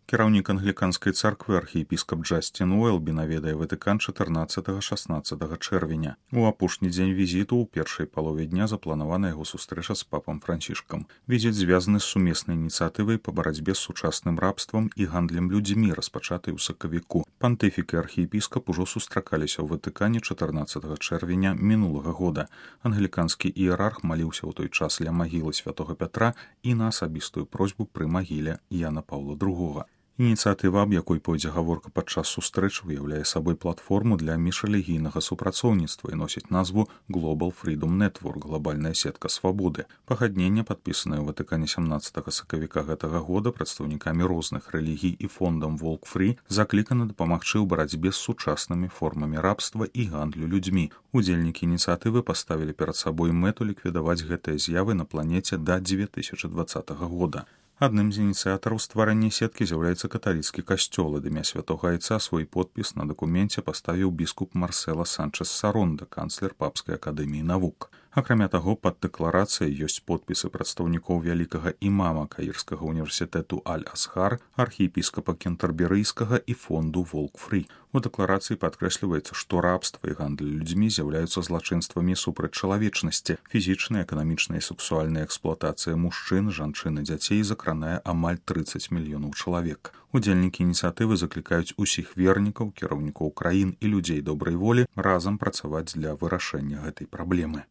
Кіраўнік англіканскай царквы архіепіскап Джасцін Уэлбі наведае Ватыкан 14-16 чэрвеня. У апошні дзень візіту ў першай палове дня запланавана яго сустрэча з папам Францішкам. Візіт звязаны з сумеснай ініцыятывай па барацьбе з сучасным рабствам і гандлем людзьмі, распачатай у сакавіку. Пантыфік і архіепіскап ужо сустракаліся ў Ватыкане 14 чэрвеня мінулага года. Англіканскі іерарх маліўся ў той час ля магілы святога Пятра і на асабістую просьбу пры магіле Яна Паўла II. Ініцыятыва, аб якой пойдзе гаворка падчас сустрэчы, уяўляе сабой платформу для міжрэлігійнага супрацоўніцтва і носіць назву Global Freedom Network – глобальная сетка свабоды. Пагадненне, падпісанае ў Ватыкане 17 сакавіка гэтага года прадстаўнікамі розных рэлігій і фондам Walk Free, заклікана дапамагчы ў барацьбе з сучаснымі формамі рабства і гандлю людзьмі. Удзельнікі ініцыятывы паставілі перад сабой мэту ліквідаваць гэтыя з'явы на планеце да 2020 года. Адным з ініцыятараў стварання сеткі з'яўляецца каталіцкі касцёл. Ад імя святога айца свой подпіс на дакуменце паставіў біскуп Марсела Санчес Саронда, канцлер Папскай акадэміі навук. Акрамя таго, пад дэкларацыяй ёсць подпісы прадстаўнікоў вялікага імама Каірскага універсітэту Аль-Асхар, архіепіскапа Кентэрберыйскага і фонду Walk Free. У дэкларацыі падкрэсліваецца, што рабства і гандаль людзьмі з'яўляюцца злачынствамі супраць чалавечнасці. Фізічная, эканамічная і сексуальная эксплуатацыя мужчын, жанчын і дзяцей закранае амаль 30 мільёнаў чалавек. Удзельнікі ініцыятывы заклікаюць усіх вернікаў, кіраўнікоў краін і людзей добрай волі разам працаваць для вырашэння гэтай праблемы.